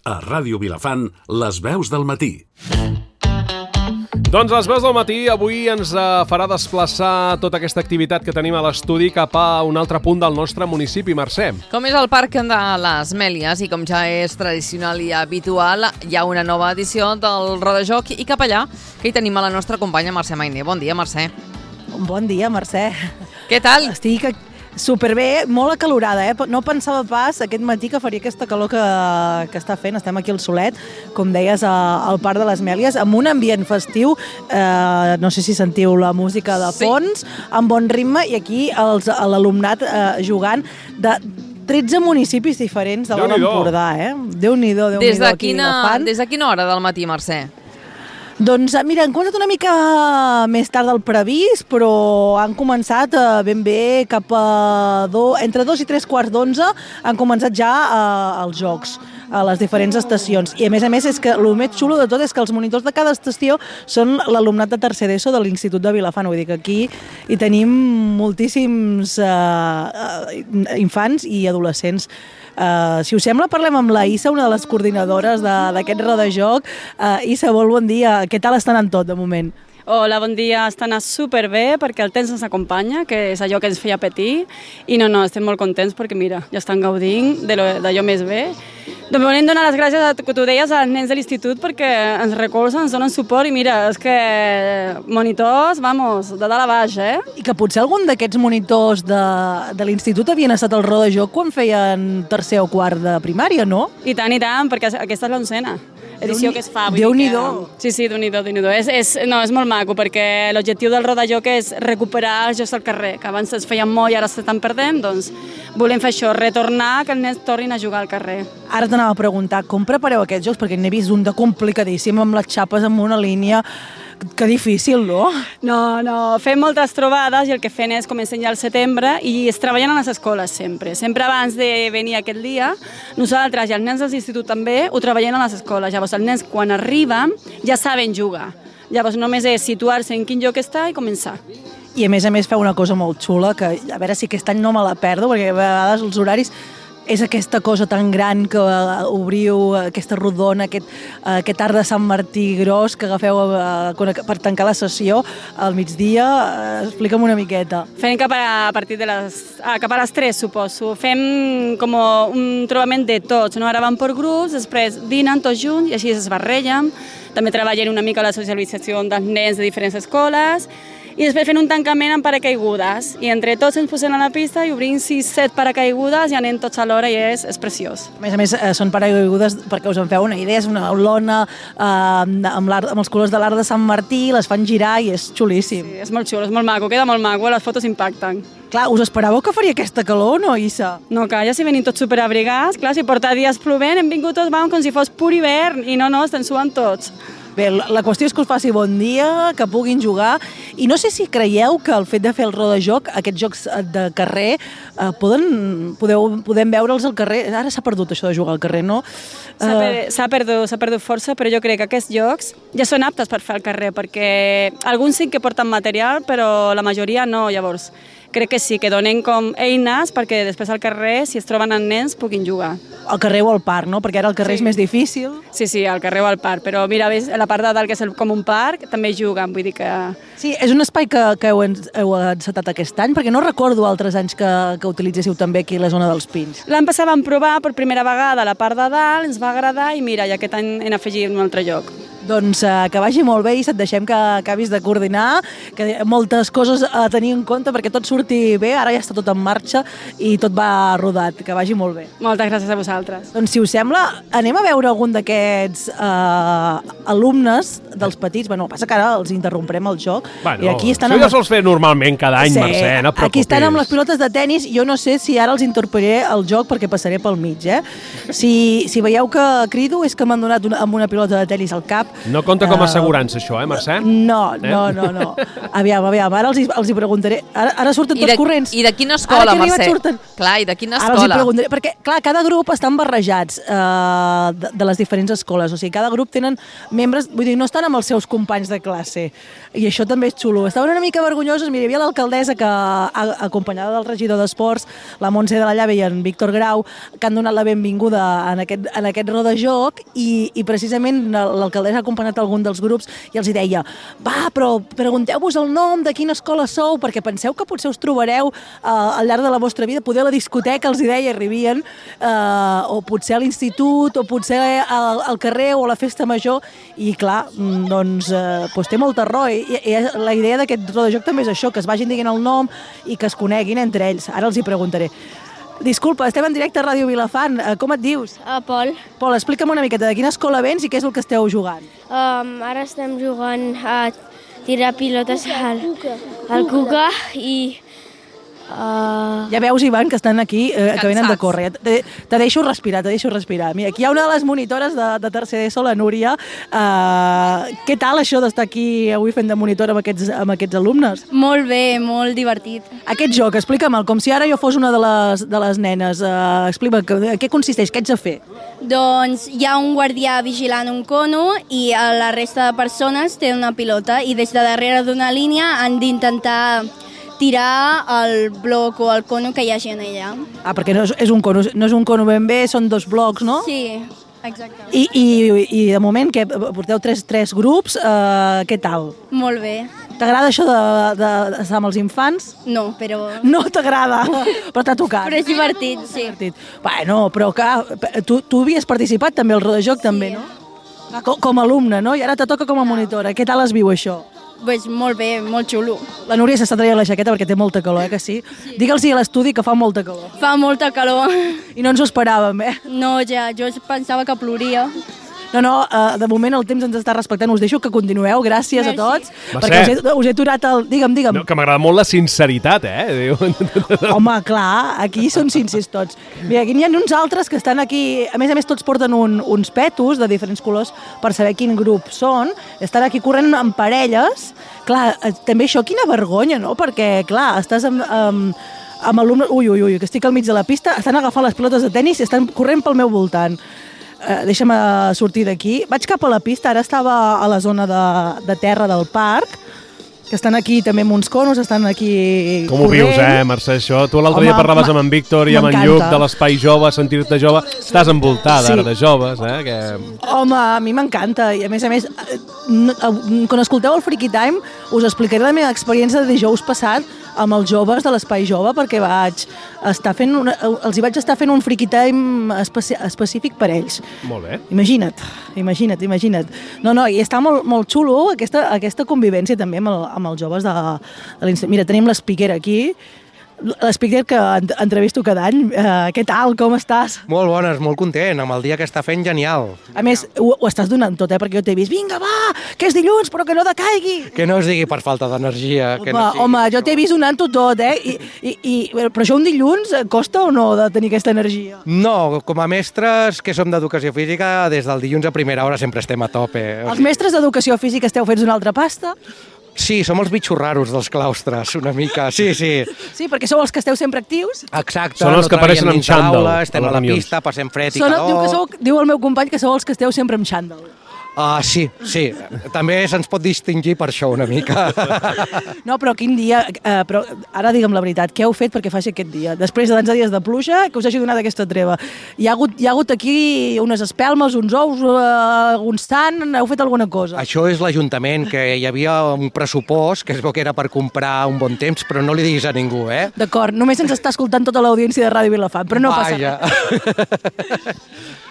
A Ràdio Vilafant, les veus del matí. Doncs les veus del matí avui ens farà desplaçar tota aquesta activitat que tenim a l'estudi cap a un altre punt del nostre municipi, Mercè. Com és el Parc de les Mèlies i com ja és tradicional i habitual, hi ha una nova edició del Rodajoc i cap allà que hi tenim a la nostra companya Mercè Mainer. Bon dia, Mercè. Bon dia, Mercè. Què tal? Estic superbé, molt acalorada, eh? No pensava pas aquest matí que faria aquesta calor que està fent. Estem aquí al solet, com deies, al Parc de les Mèlies, amb un ambient festiu. No sé si sentiu la música de fons, amb bon ritme, i aquí l'alumnat jugant de 13 municipis diferents de l'Alt Empordà, eh? Déu-n'hi-do, Déu-n'hi-do aquí Vilafant. Des de quina hora del matí, Mercè? Doncs mira, han començat una mica més tard del previst, però han començat ben bé cap a entre 2 i 3 quarts d'11 han començat ja els jocs a les diferents estacions. I a més, és que el més xulo de tot és que els monitors de cada estació són l'alumnat de tercer d'ESO de l'Institut de Vilafant. Vull dir que aquí hi tenim moltíssims infants i adolescents. Si us sembla, parlem amb la Issa, una de les coordinadores d'aquest rodajoc. Issa, molt bon dia. Què tal està anant tot, de moment? Hola, bon dia. Està anant superbé perquè el temps ens acompanya, que és allò que ens feia patir. I no, estem molt contents perquè, mira, ja estan gaudint d'allò més bé. Doncs volem donar les gràcies, que tu deies, als nens de l'institut perquè ens recolzen, ens donen suport i mira, és que monitors, vamos, de dalt a baix, eh? I que potser algun d'aquests monitors de l'institut havien estat al rodajoc quan feien tercer o quart de primària, no? I tant, perquè aquesta és l'11ª edició que es fa. Déu-n'hi-do. Sí, Déu-n'hi-do. És molt maco perquè l'objectiu del rodajoc és recuperar els jocs al carrer, que abans es feien molt i ara s'estan perdent, doncs volem fer això, retornar, que els nens tornin a jugar al carrer. Ara t'anava a preguntar, com prepareu aquests jocs? Perquè n'he vist un de complicadíssim, amb les xapes en una línia. Que difícil, no? No, fem moltes trobades i el que fem és començar ja al setembre i es treballen a les escoles sempre. Sempre abans de venir aquest dia, nosaltres i els nens de l'institut també ho treballem a les escoles. Llavors els nens quan arriben ja saben jugar. Llavors només és situar-se en quin lloc està i començar. I a més feu una cosa molt xula, que a veure si aquest any no me la perdo, perquè a vegades els horaris és aquesta cosa tan gran que obriu, aquesta rodona, aquest arc de Sant Martí gros que agafeu per tancar la sessió al migdia. Explica'm una miqueta. Fem cap a les 3, suposo. Fem com un trobament de tots, no? Ara van per grups, després dinen tots junts i així es barregen. També treballen una mica la socialització dels nens de diferents escoles. I després fent un tancament amb paracaigudes. I entre tots ens posem a la pista i obrim 6-7 paracaigudes i anem tots alhora i és preciós. A més, són paracaigudes, perquè us en feu una idea, és una lona amb els colors de l'arc de Sant Martí, les fan girar i és xulíssim. Sí, és molt xulo, és molt maco, queda molt maco, les fotos impacten. Clar, us esperàveu que faria aquesta calor, no, Issa? No, que ja si venim tots superabrigats, clar, si porta dies plovent, hem vingut tots, com si fos pur hivern, i no, estem suant tots. Bé, la qüestió és que us faci bon dia, que puguin jugar, i no sé si creieu que el fet de fer el rodajoc, aquests jocs de carrer, podem veure'ls al carrer. Ara s'ha perdut això de jugar al carrer, no? S'ha perdut força, però jo crec que aquests jocs ja són aptes per fer al carrer, perquè alguns sí que porten material, però la majoria no, llavors. Crec que sí, que donen com eines perquè després al carrer, si es troben els nens, puguin jugar. Al carrer o al parc, no? Perquè ara el carrer és més difícil. Sí, al carrer o al parc, però mira, ves, a la part de dalt, que és com un parc, també juguen, vull dir que... Sí, és un espai que heu encetat aquest any, perquè no recordo altres anys que utilitzéssiu també aquí a la zona dels Pins. L'any passat vam provar per primera vegada a la part de dalt, ens va agradar i mira, i aquest any hem afegit un altre lloc. Doncs que vagi molt bé i et deixem que acabis de coordinar, que moltes coses a tenir en compte perquè tot surti bé, ara ja està tot en marxa i tot va rodat, que vagi molt bé. Moltes gràcies a vosaltres. Doncs si us sembla, anem a veure algun d'aquests alumnes dels petits. Bueno, passa que ara els interromprem el joc. Bueno, i aquí estan això ja sols fer normalment cada any, sí, Mercè, no et preocupis. Aquí estan amb les pilotes de tenis, jo no sé si ara els interromperé el joc perquè passaré pel mig, eh? Si veieu que crido és que m'han donat amb una pilota de tenis al cap No compta com a assegurança, això, Mercè? No. Aviam, ara els hi preguntaré. Ara surten tots corrents. I de quina escola, Mercè? Clar, i de quina escola? Ara els hi preguntaré, perquè, clar, cada grup estan barrejats de les diferents escoles. O sigui, cada grup tenen membres, vull dir, no estan amb els seus companys de classe. I això també és xulo. Estaven una mica vergonyosos. Mira, hi havia l'alcaldessa que, acompanyada del regidor d'Esports, la Montse de la Llave i en Víctor Grau, que han donat la benvinguda en aquest rodajoc i precisament l'alcaldessa ha acompanyat algun dels grups i els hi deia, va, però pregunteu-vos el nom, de quina escola sou, perquè penseu que potser us trobareu al llarg de la vostra vida, poder a la discoteca, els hi deia, arribien, o potser a l'institut, o potser al carrer o a la festa major, i clar, doncs té molta raó, i la idea d'aquest rodajoc també és això, que es vagin dient el nom i que es coneguin entre ells. Ara els hi preguntaré. Disculpa, estem en directe a Ràdio Vilafant. Com et dius? Pol. Pol, explica'm una miqueta de quina escola vens i què és el que esteu jugant. Ara estem jugant a tirar pilotes al Cuca i... Ja veus, Ivan, que estan aquí, que venen de córrer. Te deixo respirar. Mira, aquí hi ha una de les monitores de tercer d'ESO, la Núria. Què tal això d'estar aquí avui fent de monitora amb aquests alumnes? Molt bé, molt divertit. Aquest joc, explica'm, com si ara jo fos una de les nenes. Explica'm, què consisteix, què ets a fer? Doncs hi ha un guardià vigilant un cono i la resta de persones tenen una pilota i des de darrere d'una línia han d'intentar tirar el bloc o el cono que hi hagi en ella. Perquè no és un cono ben bé, són 2 blocs, no? Sí, exacte. I de moment, que porteu 3 grups, què tal? Molt bé. T'agrada això d'estar amb els infants? No, però... No t'agrada, però t'ha tocat. Però és divertit, sí. Bueno, però clar, tu havies participat també al rodajoc, també, no? Com a alumne, no? I ara te toca com a monitora. Què tal es viu això? Pues molt bé, molt xulo. La Núria s'està traient la jaqueta perquè té molta calor, que sí? Digue'ls-hi a l'estudi que fa molta calor. Fa molta calor. I no ens ho esperàvem, No, ja, jo pensava que ploria. No, de moment el temps ens està respectant. Us deixo que continueu, gràcies a tots. Mercè. Perquè us he aturat el... Digue'm. No, que m'agrada molt la sinceritat, Home, clar, aquí són sincers tots. Mira, aquí n'hi ha uns altres que estan aquí... A més, tots porten uns petos de diferents colors per saber quin grup són. Estan aquí corrent en parelles. Clar, també això, quina vergonya, no? Perquè, clar, estàs amb alumnes... Ui, que estic al mig de la pista, estan agafant les pilotes de tennis i estan corrent pel meu voltant. Deixa'm sortir d'aquí. Vaig cap a la pista, ara estava a la zona de terra del parc, que estan aquí també amb uns conos, estan aquí Com ho vius, Mercè, això? Tu l'altre dia parlaves amb en Víctor i amb en Lluc de l'Espai Jove, sentir-te jove. Estàs envoltada ara de joves, Home, a mi m'encanta. I a més, quan escolteu el Freaky Time, us explicaré la meva experiència de dijous passat amb els joves de l'Espai Jove, perquè els hi vaig estar fent un Freaky Time específic per ells. Molt bé. Imagina't. No, i està molt, molt xulo aquesta convivència també amb els joves de l'institut. Mira, tenim l'Speaker aquí, l'Speaker que entrevisto cada any. Què tal, com estàs? Molt bones, molt content, amb el dia que està fent genial. A més, ho estàs donant tot, perquè jo t'he vist, vinga, va, que és dilluns, però que no decaigui. Que no es digui per falta d'energia. Home, jo t'he vist donant-ho tot, però això un dilluns costa o no de tenir aquesta energia? No, com a mestres que som d'educació física, des del dilluns a primera hora sempre estem a tope. Els mestres d'educació física esteu fets una altra pasta? Sí, som els bitxos raros dels claustres, una mica, sí. Sí, perquè sou els que esteu sempre actius? Exacte. Són els que apareixen amb xandall. Estem a la pista, passem fred i calor. Diu el meu company que sou els que esteu sempre amb xandall. Sí. També se'ns pot distingir per això una mica. No, però quin dia... Però ara digue'm la veritat, què heu fet perquè faci aquest dia? Després de tants dies de pluja, que us hagi donat aquesta treva. Hi ha hagut aquí unes espelmes, uns ous, un sant... Heu fet alguna cosa? Això és l'Ajuntament, que hi havia un pressupost que es veu que era per comprar un bon temps, però no li diguis a ningú, D'acord, només ens està escoltant tota l'audiència de Ràdio Vilafant, però no passa res.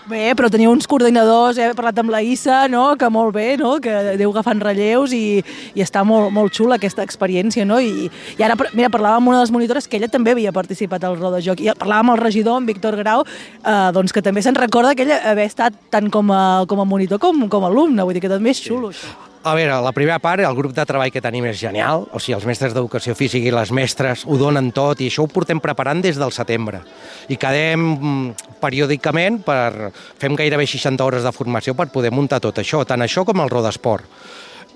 Bé, però teniu uns coordinadors, he parlat amb la Issa, no? Que molt bé, no? Que aneu agafant relleus i està molt, molt xula aquesta experiència, no? I ara, mira, parlàvem amb una de les monitores que ella també havia participat al rodajoc i parlàvem amb el regidor, en Víctor Grau, doncs que també se'n recorda que ella haver estat tant com a monitor com a alumne, vull dir que també és xulo, això. A veure, la primera part, el grup de treball que tenim és genial, o sigui, els mestres d'educació física i les mestres ho donen tot i això ho portem preparant des del setembre. I quedem periòdicament, fem gairebé 60 hores de formació per poder muntar tot això, tant això com el rodesport.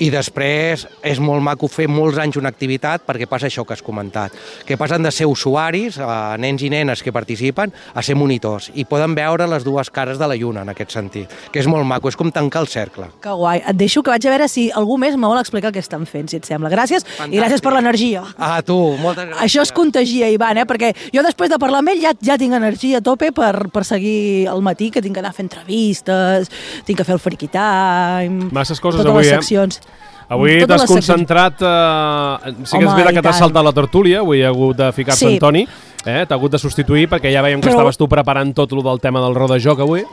I després és molt maco fer molts anys una activitat perquè passa això que has comentat, que passen de ser usuaris, nens i nenes que participen, a ser monitors i poden veure les dues cares de la lluna en aquest sentit, que és molt maco, és com tancar el cercle. Que guai. Et deixo que vaig a veure si algú més me vol explicar què estan fent, si et sembla. Gràcies. Fantàstic. I gràcies per l'energia. A tu, moltes gràcies. Això es contagia, Ivan, perquè jo després de parlar amb ell ja tinc energia a tope per seguir el matí, que tinc que anar a fer entrevistes, tinc que fer el Freaky Time... Masses coses totes avui, les seccions. Avui Totes t'has les seccions. concentrat... Sí que és Home, veritat i que t'has tant. saltat la tertúlia, avui ha hagut de ficar-se Sí. Antoni, t'ha hagut de substituir perquè ja veiem que Però- estaves tu preparant tot el del tema del rodajoc avui.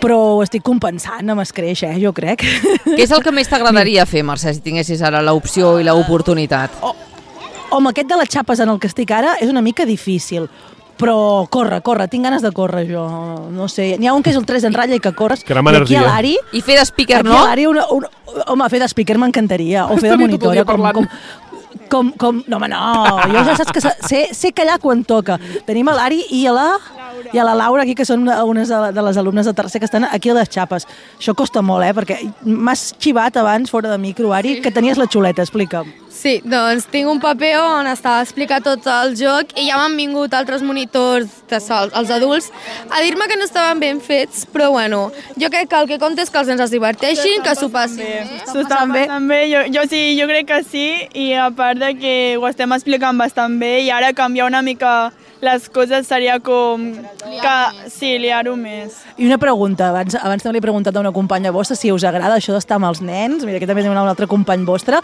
Però ho estic compensant amb escreix, jo crec. Què és el que més t'agradaria fer, Mercè, si tinguessis ara l'opció i l'oportunitat? Home, aquest de les xapes en el que estic ara és una mica difícil, però corre, tinc ganes de córrer jo, no sé, n'hi ha un que és el 3 en ratlla i que corres, Crema i aquí energia. a l'Ari... I fer de speaker, Aquí no? a l'Ari, home, fer de speaker m'encantaria, o fer de Estaria tot el dia monitora, parlant. no, home, no, jo ja saps que sé callar quan toca. Tenim a l'Ari i a la Laura aquí, que són unes de les alumnes de tercer que estan aquí a les xapes. Això costa molt, perquè m'has xivat abans, fora de micro, Ari, que tenies la xuleta, explica'm. Sí, doncs tinc un paper on està explicat tot el joc i ja m'han vingut altres monitors, els adults, a dir-me que no estaven ben fets, però bueno, jo crec que el que compta és que els nens es diverteixin, que s'ho passin. S'ho estan passant bé, jo crec que sí, i a part de que ho estem explicant bastant bé i ara canviar una mica les coses seria com liar-ho més. I una pregunta, abans també li he preguntat a una companya vostra si us agrada això d'estar amb els nens, mira, aquí també tenim un altre company vostre,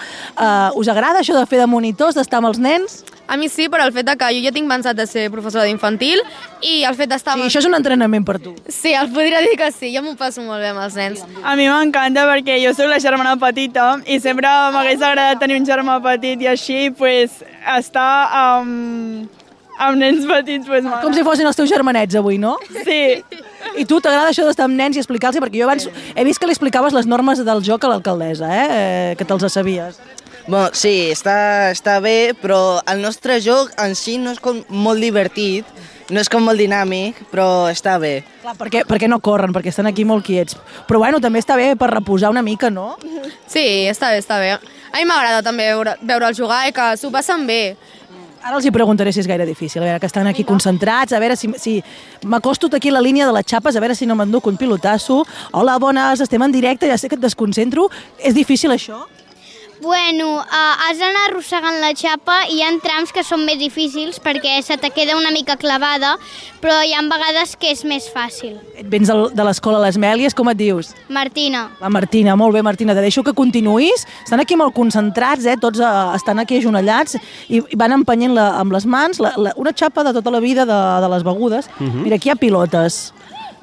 us agrada això de fer de monitors, d'estar amb els nens? A mi sí, però el fet de que jo ja tinc pensat de ser professora d'infantil i el fet d'estar... Sí, això és un entrenament per tu. Sí, el podria dir que sí, jo m'ho passo molt bé amb els nens. A mi m'encanta perquè jo soc la germana petita i sempre m'hagués agradat tenir un germà petit i així, pues, estar amb nens petits, pues, Com si fossin els teus germanets avui, no? Sí. I tu t'agrada això d'estar amb nens i explicar-los? Perquè jo abans he vist que li explicaves les normes del joc a l'alcaldessa, que te'ls sabies. Bueno, sí, està bé, però el nostre joc en si no és com molt divertit, no és com molt dinàmic, però està bé. Clar, perquè no corren, perquè estan aquí molt quiets. Però bueno, també està bé per reposar una mica, no? Sí, està bé. A mi m'agrada també veure'ls jugar i que s'ho passen bé. Ara els hi preguntaré si és gaire difícil, a veure, que estan aquí concentrats, a veure si m'acosto aquí a la línia de les xapes, a veure si no m'enduc un pilotasso. Hola, bones, estem en directe, ja sé que et desconcentro. És difícil això? Bueno, has d'anar arrossegant la xapa i hi ha trams que són més difícils perquè se te queda una mica clavada, però hi ha vegades que és més fàcil. Et vens de l'escola Les Mèlies, com et dius? Martina. La Martina, molt bé, Martina, te deixo que continuïs. Estan aquí molt concentrats, tots estan aquí ajonellats i van empenyent amb les mans una xapa de tota la vida de les begudes. Mira, aquí hi ha pilotes.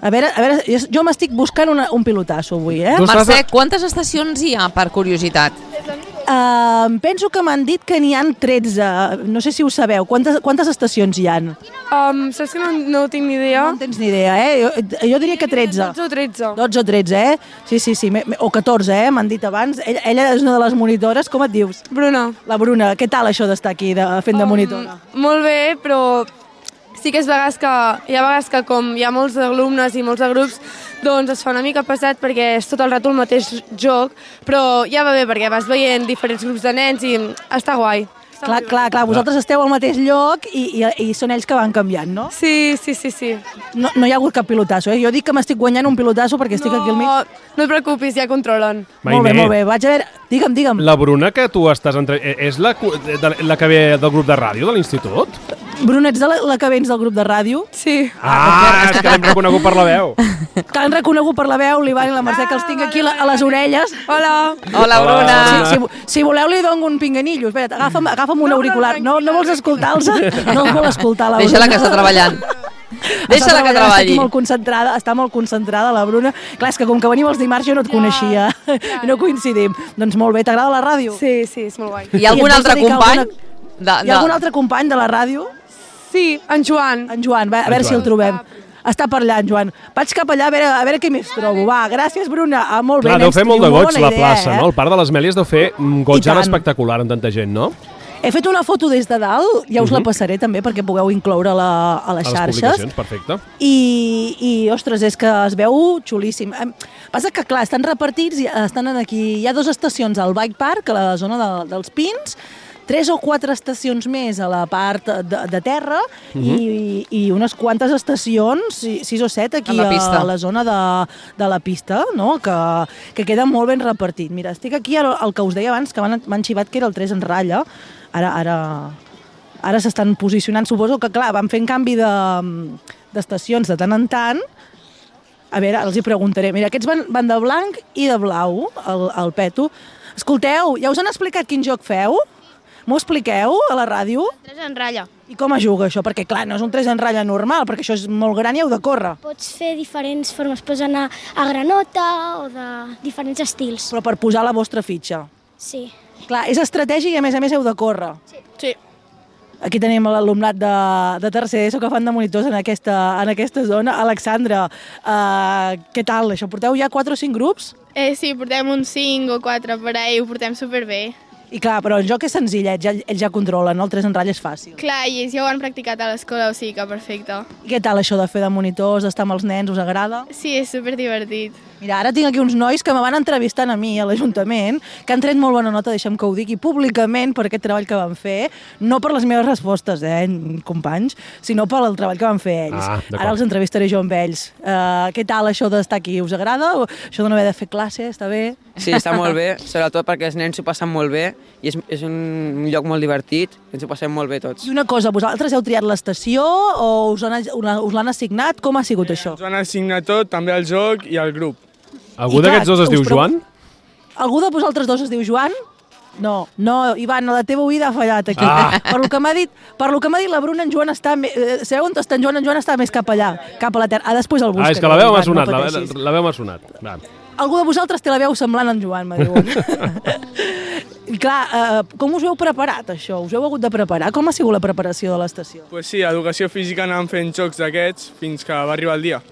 A veure, jo m'estic buscant un pilotasso avui, Mercè, quantes estacions hi ha, per curiositat? Penso que m'han dit que n'hi ha 13, no sé si ho sabeu. Quantes estacions hi ha? Saps que no tinc ni idea? No en tens ni idea, Jo diria que 13. 12 o 13. 12 o 13, Sí, o 14, m'han dit abans. Ella és una de les monitores, com et dius? Bruna. La Bruna, què tal això d'estar aquí fent de monitora? Molt bé, però sí que hi ha vegades que com hi ha molts alumnes i molts de grups, doncs es fa una mica pesat perquè és tot el rato el mateix joc, però ja va bé perquè vas veient diferents grups de nens i està guai. Clar, vosaltres esteu al mateix lloc i són ells que van canviant, no? Sí. No hi ha hagut cap pilotasso, Jo dic que m'estic guanyant un pilotasso perquè estic aquí al mig. No et preocupis, ja controlen. Molt bé, vaig a veure... Digue'm. La Bruna, que tu estàs és la que ve del grup de ràdio de l'institut? Bruna, ets la que vens del grup de ràdio? Sí. És que l'hem reconegut per la veu. Que l'hem reconegut per la veu, l'Ivan i la Mercè, que els tinc aquí a les orelles. Hola. Hola, Bruna. Si voleu li dono un pinganillo. Espera't, agafa'm un auricular. No vols escoltar-los? No els vol escoltar, la Bruna. Deixa-la que està treballant. Deixa-la que treballi. Està molt concentrada la Bruna. Clar, és que com que venim els dimarts jo no et coneixia. No coincidim. Doncs molt bé, t'agrada la ràdio? Sí, és molt guai. Hi ha algun altre company? Hi ha algun altre company de la ràdio? Sí, en Joan. En Joan, a veure si el trobem. Està parlant, Joan. Vaig cap allà a veure què més trobo. Va, gràcies, Bruna. Molt bé, Clar, deu fer molt de goig la plaça, idea, no? El Parc de les Mèlies deu fer un goig ara espectacular amb tanta gent, no? He fet una foto des de dalt, ja us la passaré també perquè pugueu incloure-la a les xarxes. A les publicacions, perfecte. I, ostres, és que es veu xulíssim. Passa que, clar, estan repartits, estan aquí. Hi ha 2 estacions al Bike Park, a la zona dels Pins, 3 o 4 estacions més a la part de terra i unes quantes estacions, 6 o 7 aquí a la zona de la pista, no? Que queda molt ben repartit. Mira, estic aquí al que us deia abans, que m'han xivat que era el 3 en ratlla. Ara s'estan posicionant. Suposo que, clar, van fent canvi d'estacions de tant en tant. A veure, els hi preguntaré. Mira, aquests van de blanc i de blau, el Peto. Escolteu, ja us han explicat quin joc feu? M'ho expliqueu a la ràdio? 3 en ratlla. I com es juga això? Perquè, clar, no és un 3 en ratlla normal, perquè això és molt gran i heu de córrer. Pots fer diferents formes, pots anar a granota o de diferents estils. Però per posar la vostra fitxa. Sí. Clar, és estratègic i a més heu de córrer. Sí. Aquí tenim l'alumnat de tercer ESO que fan de monitors en aquesta zona. Alexandra, què tal? Això porteu ja 4 o 5 grups? Sí, portem uns 5 o 4 per ahí, ho portem superbé. I clar, però el joc és senzillet, ells ja controlen, no? El 3 en ratlla és fàcil. Clar, i ells ja ho han practicat a l'escola, o sigui que perfecte. I què tal això de fer de monitors, d'estar amb els nens, us agrada? Sí, és superdivertit. Mira, ara tinc aquí uns nois que me van entrevistant a mi a l'Ajuntament, que han tret molt bona nota, deixa'm que ho digui públicament per aquest treball que van fer, no per les meves respostes, companys, sinó per el treball que van fer ells. Ara els entrevistaré jo amb ells. Què tal això d'estar aquí? Us agrada? Això de no haver de fer classe, està bé? Sí, està molt bé, sobretot perquè els nens s'ho passen molt bé i és un lloc molt divertit, ens ho passem molt bé tots. I una cosa, vosaltres heu triat l'estació o us l'han assignat? Com ha sigut això? Ens han assignat tot, també el joc i el grup. Algú d'aquests dos es diu Joan? Algú de vosaltres dos es diu Joan? No, Ivan, la teva oïda ha fallat aquí. Per lo que m'ha dit la Bruna, en Joan està... Sabeu on està en Joan? En Joan està més cap allà, cap a la terra. Després el buscaré. És que la veu m'ha sonat, la veu m'ha sonat. Algú de vosaltres té la veu semblant en Joan, m'ha diuen. I clar, com us heu preparat, això? Us heu hagut de preparar? Com ha sigut la preparació de l'estació? Pues sí, a Educació Física anàvem fent jocs d'aquests fins que va arribar el dia.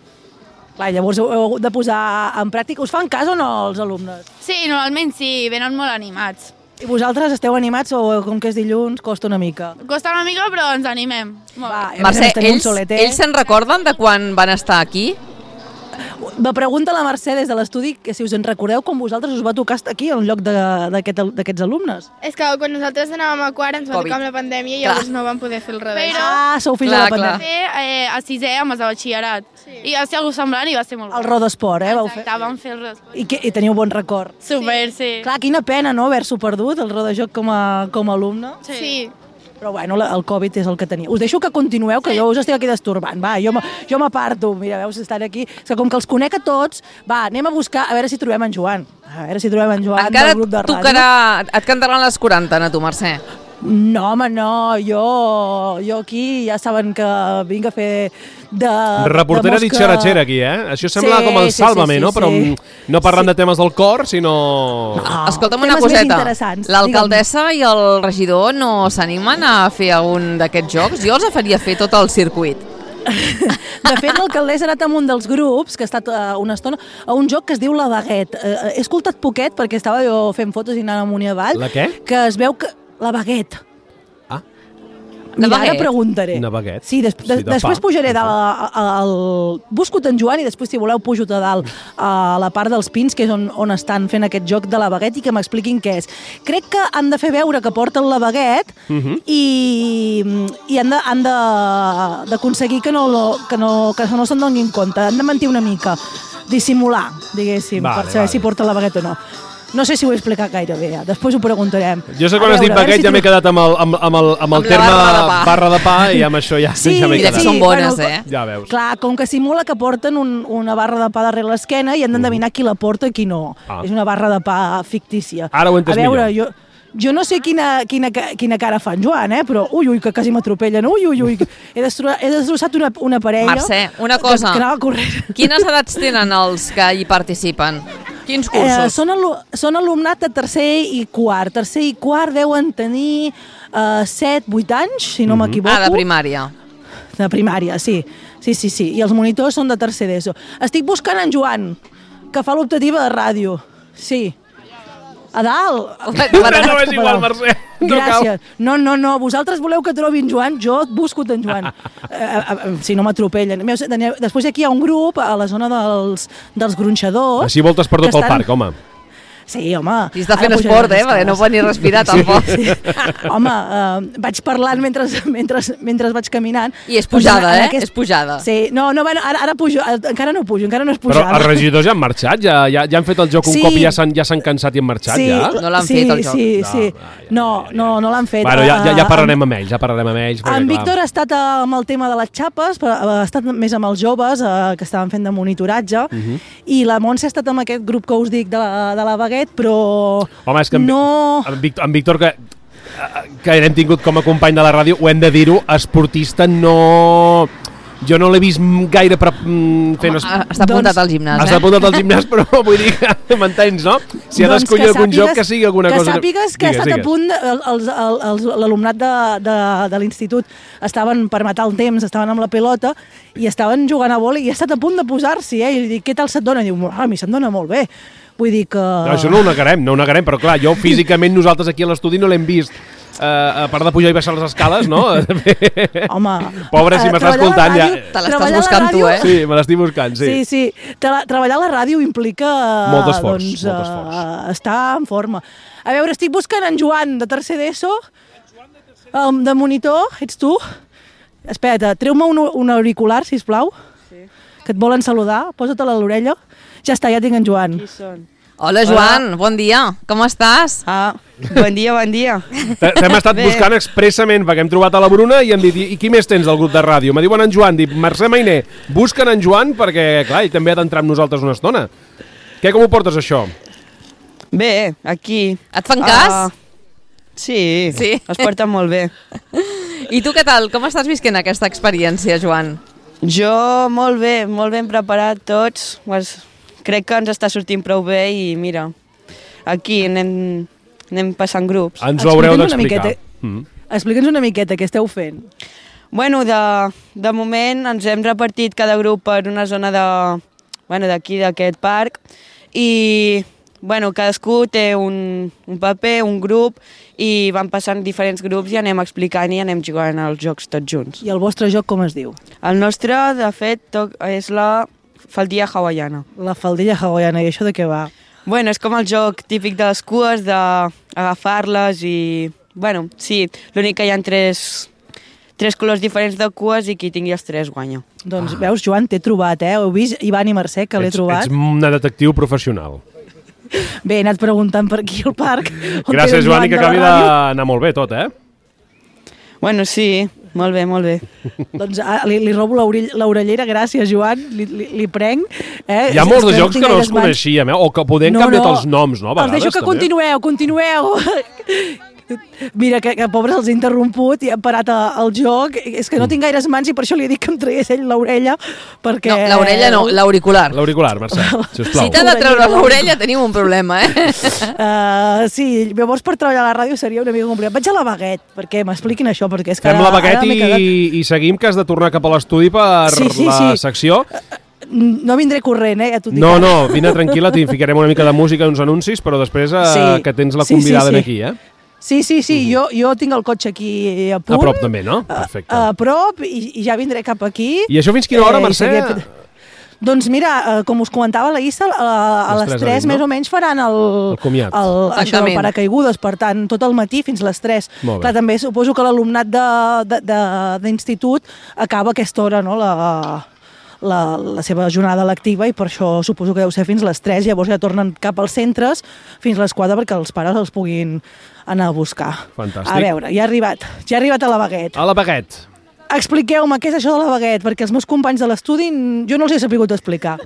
Clar, llavors heu hagut de posar en pràctica. Us fan cas o no, els alumnes? Sí, normalment sí, venen molt animats. I vosaltres esteu animats o com que és dilluns costa una mica? Costa una mica, però ens animem. Mercè, ells se'n recorden de quan van estar aquí? Me pregunta la Mercè des de l'estudi que si us en recordeu com vosaltres us va tocar estar aquí en lloc d'aquests alumnes. És que quan nosaltres anàvem a quart ens va tocar amb la pandèmia i llavors no vam poder fer el revés. Sou fills de la pandèmia. Fer a sisè amb els de batxillerat. I va ser algú semblant i va ser molt bo. El rodesport, vau fer? Exacte, vam fer el rodesport. I teniu bon record? Super, sí. Clar, quina pena, no?, haver-s'ho perdut, el rodejoc com a alumne. Sí. Però bueno, el Covid és el que tenia. Us deixo que continueu, que jo us estic aquí destorbant. Va, jo m'aparto. Mira, veus, estan aquí. És que com que els conec a tots, va, anem a buscar, a veure si trobem en Joan. A veure si trobem en Joan del grup de ràdio. Encara et cantaran les 40, a tu, Mercè. No, home, no. Jo aquí ja saben que vinc a fer de reportera ditxeratxera aquí, Això sembla com el Sálvame, no? Però no parlant de temes del cor, sinó... Escolta'm una coseta. L'alcaldessa i el regidor no s'animen a fer algun d'aquests jocs? Jo els faria fer tot el circuit. De fet, l'alcaldessa ha anat amb un dels grups, que ha estat una estona, a un joc que es diu La Baguette. He escoltat poquet perquè estava jo fent fotos i anant amunt i avall. La què? Que es veu que... La Baguette. Mira, ara preguntaré. Una baguette. Sí, després pujaré busco-te en Joan i després, si voleu, pujo a dalt a la part dels Pins, que és on estan fent aquest joc de la baguette i que m'expliquin què és. Crec que han de fer veure que porten la baguette i han d'aconseguir que no se'n donin compte. Han de mentir una mica, dissimular, diguéssim, per saber si porten la baguette o no. No sé si ho he explicat gaire bé, després ho preguntarem. Jo sé quan has dit baguette ja m'he quedat amb el terme barra de pa i amb això ja m'he quedat. Són bones, Ja veus. Clar, com que simula que porten una barra de pa darrere l'esquena i han d'endevinar qui la porta i qui no. És una barra de pa fictícia. Ara ho he entès millor. Jo no sé quina cara fa en Joan, però ui, que quasi m'atropellen, ui. He destrossat una parella. Mercè, una cosa. Que anava corrent. Quines edats tenen els que hi participen? Quins cursos? Són alumnat de tercer i quart. Tercer i quart deuen tenir 7-8 anys, si no m'equivoco. De primària. De primària, sí. Sí, i els monitors són de tercer d'ESO. Estic buscant en Joan, que fa l'optativa de ràdio. Sí. A dalt. No és igual, Mercè. Gràcies. No, vosaltres voleu que trobi en Joan, jo et busco en Joan. Si no m'atropellen. Després aquí hi ha un grup a la zona dels gronxadors. Així voltes per tot el parc, home. Sí, home. I està fent esport, perquè no pot ni respirar tampoc. Sí. Home, vaig parlant mentre vaig caminant. I és pujada, És pujada. Sí, ara pujo, encara no pujo, encara no és Però pujada. els regidors ja han marxat, ja han fet el joc un cop i ja s'han cansat i han marxat, ja? No l'han fet, el joc. Sí. No l'han fet. Bueno, ja parlarem amb ells, En Víctor ha estat amb el tema de les xapes, ha estat més amb els joves que estaven fent de monitoratge, i la Montse ha estat amb aquest grup que us dic de la Baguette, però home, és que no... En Víctor, que l'hem tingut com a company de la ràdio, ho hem de dir-ho, esportista no... Jo no l'he vist gaire fent... Està apuntat al gimnàs, Està apuntat al gimnàs, però vull dir que m'entens, no? Si ha d'escollir algun joc, que sigui alguna cosa... Que sàpigues que ha estat a punt, l'alumnat de l'institut estaven per matar el temps, estaven amb la pilota i estaven jugant a vòlei i ha estat a punt de posar-s'hi, i li dic, què tal se't dona? I diu, a mi se'm dona molt bé. Vull dir que... No, això no ho negarem, però clar, jo físicament nosaltres aquí a l'estudi no l'hem vist. A part de pujar i baixar les escales, no? Home... Pobre, si m'estàs escoltant ja... Te l'estàs buscant tu, Sí, me l'estic buscant, sí. Sí. Treballar a la ràdio implica... Molt esforç. Estar en forma. A veure, estic buscant en Joan, de tercer d'ESO, de monitor, ets tu? Espera't, treu-me un auricular, sisplau, que et volen saludar, posa-te-la a l'orella. Ja està, ja tinc en Joan. Qui són? Hola, Joan, bon dia. Com estàs? Bon dia. T'hem estat buscant expressament perquè hem trobat a la Bruna i hem dit, i qui més tens del grup de ràdio? Me diuen en Joan, dic, Mercè Mainer, busquen en Joan perquè, clar, ell també ha d'entrar amb nosaltres una estona. Com ho portes, això? Bé, aquí. Et fan cas? Sí, es porten molt bé. I tu què tal? Com estàs visquent aquesta experiència, Joan? Jo molt ben preparat tots. Crec que ens està sortint prou bé i mira, aquí anem passant grups. Ens ho haureu d'explicar. Explica'ns una miqueta què esteu fent. Bueno, de moment ens hem repartit cada grup per una zona d'aquí, d'aquest parc, i bueno, cadascú té un paper, un grup, i van passant diferents grups i anem explicant i anem jugant als jocs tots junts. I el vostre joc com es diu? El nostre, de fet, és la faldilla hawaiana. La faldilla hawaiana, i això de què va? Bueno, és com el joc típic de les cues, d'agafar-les i... Bueno, sí, l'únic que hi ha tres colors diferents de cues i qui tingui els tres guanya. Doncs veus, Joan, t'he trobat, Heu vist, Ivan i Mercè, que l'he trobat? Ets una detectiu professional. Bé, he anat preguntant per aquí al parc. Gràcies, Joan, i que acabi d'anar molt bé tot, Bueno, sí, molt bé. Doncs li robo l'orellera, gràcies, Joan, li prenc. Hi ha molts de jocs que no els coneixíem, o que podem canviar els noms, no? Els deixo que continueu. Mira, que pobres els he interromput i han parat el joc. És que no tinc gaires mans i per això li dic que em tragués ell l'orella, perquè... No, l'orella no, l'auricular. L'auricular, Mercè, sisplau. Si t'ha de treure l'orella tenim un problema, Sí, llavors per treballar a la ràdio seria una mica complicat. Vaig a la Baguette, perquè m'expliquin això, perquè és que... Fem la Baguette i seguim, que has de tornar cap a l'estudi per la secció. No vindré corrent, ja t'ho dic. No, vine tranquil·la, t'hi ficarem una mica de música i uns anuncis, però després que tens la convidada aquí, Sí, jo tinc el cotxe aquí a punt. A prop també, no? Perfecte. A prop, i ja vindré cap aquí. I això fins quina hora, Mercè? Doncs mira, com us comentava la Issa, a les 3 més o menys faran el paracaigudes, per tant, tot el matí fins les 3. Clar, també suposo que l'alumnat d'institut acaba a aquesta hora, no?, la seva jornada lectiva, i per això suposo que deu ser fins les 3, llavors ja tornen cap als centres fins les 4 perquè els pares els puguin anar a buscar. Fantàstic. A veure, ja he arribat a la Baguette. A la Baguette. Expliqueu-me què és això de la Baguette, perquè els meus companys de l'estudi jo no els he sabut explicar.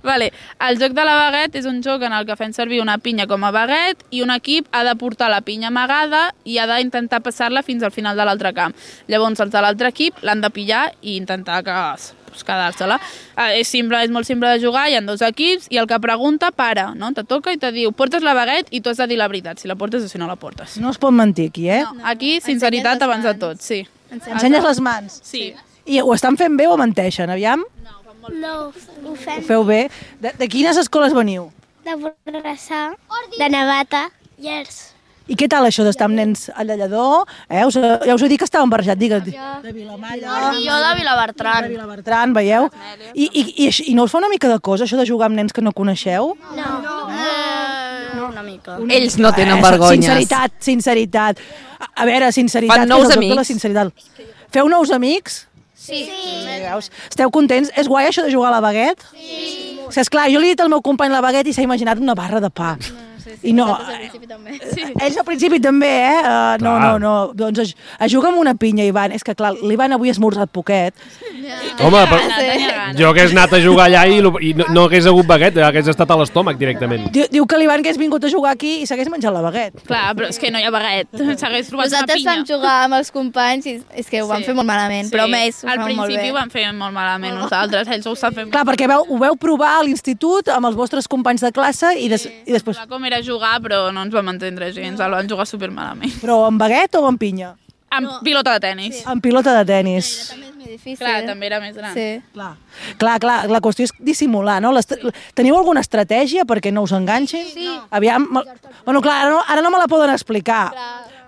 Vale. El joc de la Baguette és un joc en el que fem servir una pinya com a baguette i un equip ha de portar la pinya amagada i ha d'intentar passar-la fins al final de l'altre camp. Llavors els de l'altre equip l'han de pillar i intentar quedar-se-la. És molt simple de jugar, hi ha 2 equips i el que pregunta para, no? Te toca i te diu, portes la baguette i tu has de dir la veritat, si la portes o si no la portes. No es pot mentir aquí, No, aquí, sinceritat abans de tot, sí. Ensenyes les mans? Sí. I ho estan fent bé o menteixen, aviam? No, ho fem. Ho feu bé. De quines escoles veniu? De Borrassà, de Navata, Llers. I què tal això d'estar amb nens a Llallador? Ja us he dit que estàvem barrejats, digue'm. De Vilamalla. Jo de Vilabertran. De Vilabertran, veieu? I no us fa una mica de cosa, això de jugar amb nens que no coneixeu? No, una mica. Ells no tenen vergonyes. Sinceritat. A veure, sinceritat. Fan nous amics. Feu nous amics? Sí. Veus? Esteu contents? És guai això de jugar a la baguet? Sí. Esclar, jo li he dit al meu company la baguet i s'ha imaginat una barra de pa. I no, ells al principi també, No, doncs es juga amb una pinya, Ivan. És que, clar, l'Ivan avui ha esmorzat poquet. Home, jo hagués anat a jugar allà i no hagués hagut baguet, hagués estat a l'estómac directament. Diu que l'Ivan hagués vingut a jugar aquí i s'hagués menjat la baguet. Clar, però és que no hi ha baguet. S'hagués trobat una Nosaltres pinya. vam jugar amb els companys i és que ho vam fer molt malament, però amb ells ho al fan molt bé. principi ho vam fer molt malament nosaltres, ells ho estan fent Clar, perquè ho veu provar a l'institut amb els vostres companys de classe i després... Com era jugar, però no ens vam entendre gens, el van jugar supermalament. Però amb baguet o amb pinya? Amb pilota de tenis. Amb pilota de tenis. Clar, també era més gran. Sí. Clar, la qüestió és dissimular, no? Teniu alguna estratègia perquè no us enganxin? Sí. Aviam, bueno, clar, ara no me la poden explicar,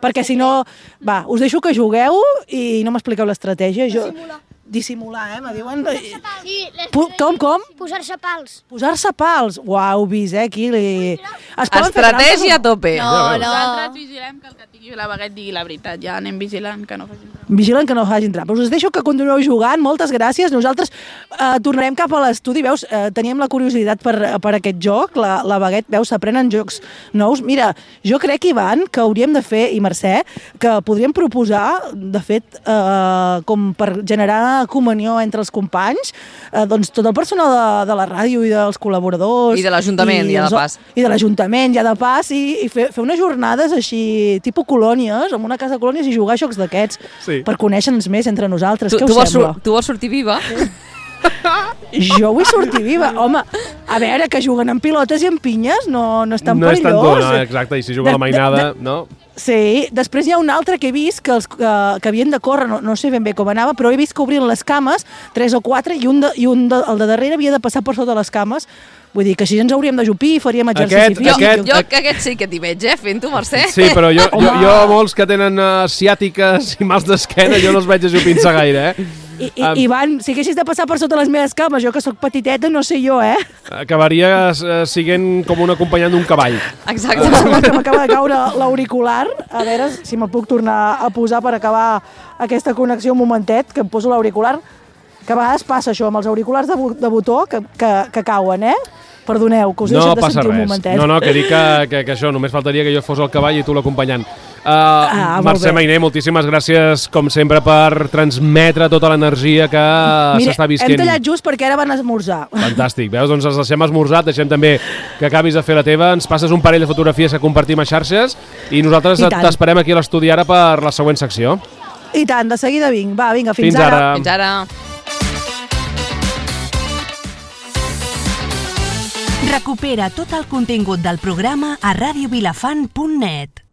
perquè si no... Va, us deixo que jugueu i no m'expliqueu l'estratègia. Dissimular, me diuen... Sí, Com? Posar-se pals. Posar-se pals. Uau, heu vist, aquí Estratègia a tope. Nosaltres vigilem que el que tingui la baguet digui la veritat. Ja anem vigilant que no facin trampes. Vigilen que no facin trampes. Us deixo que continueu jugant, moltes gràcies. Nosaltres tornarem cap a l'estudi. Veus, teníem la curiositat per aquest joc, la baguet, veus, s'aprenen jocs nous. Mira, jo crec, Ivan, que hauríem de fer, i Mercè, que podríem proposar, de fet, com per generar comunió entre els companys, doncs tot el personal de la ràdio i dels col·laboradors... I de l'Ajuntament, ja de pas. I de l'Ajuntament, ja de pas, i fer unes jornades així, tipus colònies, en una casa de colònies, i jugar a jocs d'aquests, per conèixer-nos més entre nosaltres. Què us sembla? Tu vols sortir viva? Jo vull sortir viva. Home, a veure, que juguen amb pilotes i amb pinyes no és tan perillós. No és tan dur, no, exacte, i si juga la mainada, no? Sí, després hi ha un altre que he vist que havien de córrer, no sé ben bé com anava, però he vist que obrien les cames, 3 o 4, i el de darrere havia de passar per sota les cames. Vull dir que així ens hauríem d'ajupir i faríem exercici físic. Jo aquest sí que t'hi veig, fent-ho, Mercè. Sí, però jo molts que tenen ciàtiques i mals d'esquena, jo no els veig ajupint-se gaire, Ivan, si haguessis de passar per sota les meves cames, jo que sóc petiteta, no sé jo, Acabaria siguent com un acompanyant d'un cavall. Exacte. Que m'acaba de caure l'auricular. A veure si me'l puc tornar a posar per acabar aquesta connexió un momentet, que em poso l'auricular. Que a vegades passa això, amb els auriculars de botó, que cauen, Perdoneu, que us he deixat de sentir un momentet. No, que dic que això, només faltaria que jo fos el cavall i tu l'acompanyant. Mercè Mainer, moltíssimes gràcies, com sempre, per transmetre tota l'energia que s'està visquent. Hem tallat just perquè ara van esmorzar. Fantàstic, veus? Doncs els deixem esmorzat, deixem també que acabis de fer la teva, ens passes un parell de fotografies que compartim a xarxes i nosaltres t'esperem aquí a l'estudi ara per la següent secció. I tant, de seguida vinc. Va, vinga, fins ara. Fins ara. Recupera tot el contingut del programa a radiovilafant.net.